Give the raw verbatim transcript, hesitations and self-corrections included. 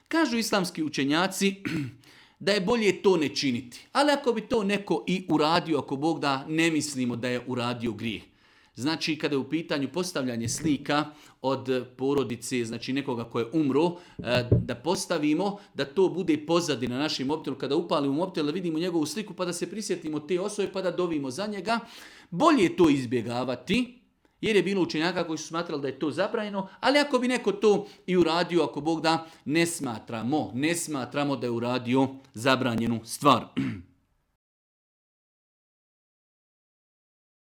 Kažu islamski učenjaci da je bolje to ne činiti. Ali ako bi to neko i uradio, ako Bog da, ne mislimo da je uradio grijeh. Znači, kada je u pitanju postavljanje slika od porodice, znači nekoga ko je umro, da postavimo, da to bude pozadina na našim mobitelu. Kada upalimo mobitel, da vidimo njegovu sliku, pa da se prisjetimo te osobe, pa da dovimo za njega. Bolje je to izbjegavati, jer je bilo učenjaka koji su smatrali da je to zabranjeno, ali ako bi neko to i uradio, ako Bog da, ne smatramo, ne smatramo da je uradio zabranjenu stvar.